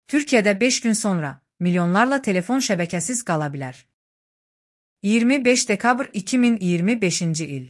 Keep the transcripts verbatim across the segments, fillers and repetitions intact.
Türkiye'de beş gün sonra milyonlarla telefon şebekesiz kalabilir. yirmi beş Dekabr iki bin yirmi beşinci il.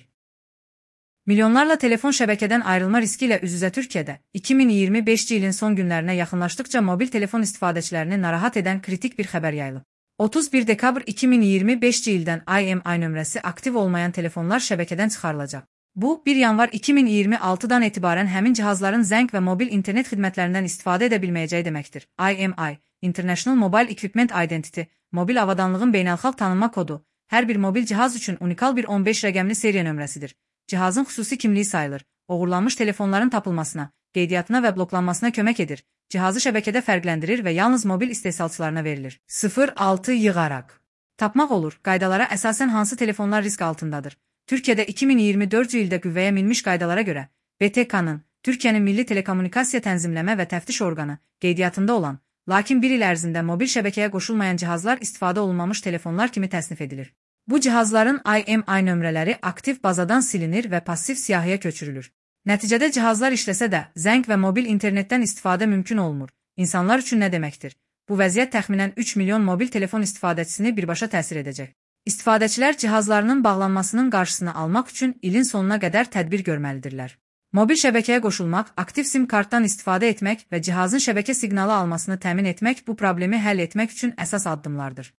Milyonlarla telefon şebekeden ayrılma riskiyle üz-üzə Türkiye'de iki bin yirmi beşinci ilin son günlerine yaxınlaşdıkça mobil telefon istifadəçilərini narahat eden kritik bir xəbər yayılıb. otuz bir Dekabr iki bin yirmi beşinci ildən I M I nömrəsi aktiv olmayan telefonlar şəbəkədən çıxarılacaq. Bu, bir yanvar iki bin iyirmi altıdan etibarən həmin cihazların zəng və mobil internet xidmətlərindən istifadə edə bilməyəcəyi deməkdir. I M I, International Mobile Equipment Identity, mobil avadanlığın beynəlxalq tanınma kodu, hər bir mobil cihaz üçün unikal bir on beş rəqəmli seriya nömrəsidir. Cihazın xüsusi kimliyi sayılır, oğurlanmış telefonların tapılmasına, qeydiyyatına və bloklanmasına kömək edir, cihazı şəbəkədə fərqləndirir və yalnız mobil istehsalçılarına verilir. sıfır altı yığaraq tapmaq olur, qaydalara əsasən hansı telefonlar risk altındadır? Türkiye'de iki bin iyirmi dördüncü ildə qüvvəyə minmiş qaydalara görə, B T K'nın, Türkiye'nin Milli Telekommunikasiya Tənzimləmə və Təftiş Orqanı, qeydiyyatında olan, lakin bir il ərzində mobil şəbəkəyə qoşulmayan cihazlar istifadə olunmamış telefonlar kimi təsnif edilir. Bu cihazların I M I nömrələri aktiv bazadan silinir və passiv siyahıya köçürülür. Nəticədə cihazlar işləsə də, zəng və mobil internetdən istifadə mümkün olmur. İnsanlar üçün nə deməkdir? Bu vəziyyət təxminən üç milyon mobil telefon istifadəçisini birbaşa təsir edəcək. İstifadəçilər cihazlarının bağlanmasının qarşısını almaq üçün ilin sonuna qədər tədbir görməlidirlər. Mobil şəbəkəyə qoşulmaq, aktiv sim kartdan istifadə etmək və cihazın şəbəkə siqnalı almasını təmin etmək bu problemi həll etmək üçün əsas addımlardır.